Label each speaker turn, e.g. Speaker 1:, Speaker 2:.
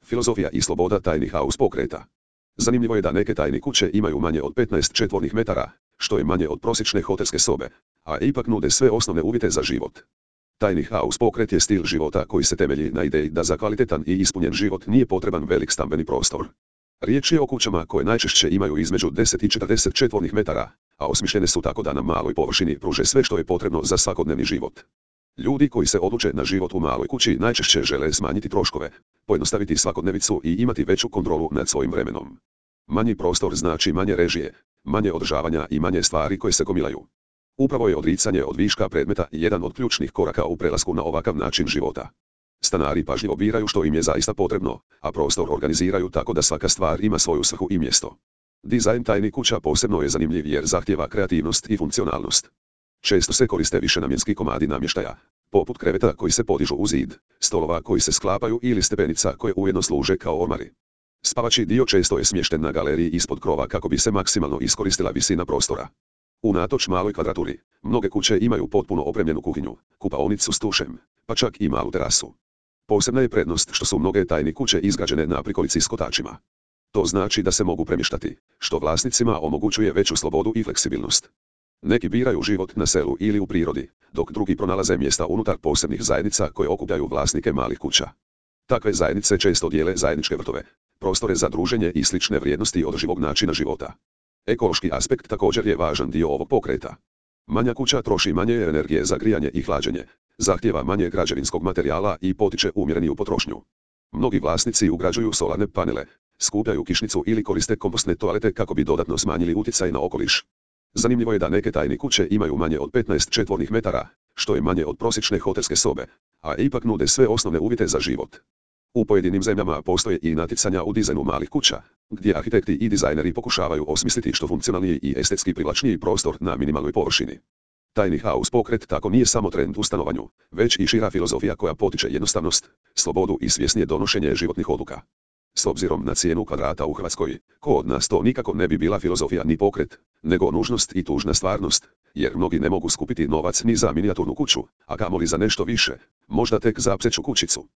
Speaker 1: Filozofija i sloboda tajnih house pokreta. Zanimljivo je da neke tajne kuće imaju manje od 15 četvornih metara, što je manje od prosječne hotelske sobe, a ipak nude sve osnovne uvjete za život. Tajni house pokret je stil života koji se temelji na ideji da za kvalitetan i ispunjen život nije potreban velik stambeni prostor. Riječ je o kućama koje najčešće imaju između 10 i 40 četvornih metara, a osmišljene su tako da na maloj površini pruže sve što je potrebno za svakodnevni život. Ljudi koji se odluče na život u maloj kući najčešće žele smanjiti troškove, pojednostaviti svakodnevicu i imati veću kontrolu nad svojim vremenom. Manji prostor znači manje režije, manje održavanja i manje stvari koje se gomilaju. Upravo je odricanje od viška predmeta jedan od ključnih koraka u prelasku na ovakav način života. Stanari pažljivo biraju što im je zaista potrebno, a prostor organiziraju tako da svaka stvar ima svoju svrhu i mjesto. Dizajn tajnih kuća posebno je zanimljiv jer zahtijeva kreativnost i funkcionalnost. Često se koriste višenamjenski komadi namještaja, poput kreveta koji se podižu u zid, stolova koji se sklapaju ili stepenica koje ujedno služe kao ormari. Spavači dio često je smješten na galeriji ispod krova kako bi se maksimalno iskoristila visina prostora. Unatoč maloj kvadraturi, mnoge kuće imaju potpuno opremljenu kuhinju, kupaonicu s tušem, pa čak i malu terasu. Posebna je prednost što su mnoge tajne kuće izgrađene na prikolici s kotačima. To znači da se mogu premještati, što vlasnicima omogućuje veću slobodu i fleksibilnost. Neki biraju život na selu ili u prirodi, dok drugi pronalaze mjesta unutar posebnih zajednica koje okupljaju vlasnike malih kuća. Takve zajednice često dijele zajedničke vrtove, prostore za druženje i slične vrijednosti održivog načina života. Ekološki aspekt također je važan dio ovog pokreta. Manja kuća troši manje energije za grijanje i hlađenje, zahtijeva manje građevinskog materijala i potiče umjereniju potrošnju. Mnogi vlasnici ugrađuju solarne panele, skupljaju kišnicu ili koriste kompostne toalete kako bi dodatno smanjili utjecaj na okoliš. Zanimljivo je da neke tajne kuće imaju manje od 15 četvornih metara, što je manje od prosječne hotelske sobe, a ipak nude sve osnovne uvjete za život. U pojedinim zemljama postoje i natjecanja u dizajnu malih kuća, gdje arhitekti i dizajneri pokušavaju osmisliti što funkcionalniji i estetski privlačniji prostor na minimalnoj površini. Tajni house pokret tako nije samo trend u stanovanju, već i šira filozofija koja potiče jednostavnost, slobodu i svjesnije donošenje životnih odluka. S obzirom na cijenu kvadrata u Hrvatskoj, kod nas to nikako ne bi bila filozofija ni pokret, nego nužnost i tužna stvarnost, jer mnogi ne mogu skupiti novac ni za minijaturnu kuću, a kamoli za nešto više, možda tek za pseću kućicu.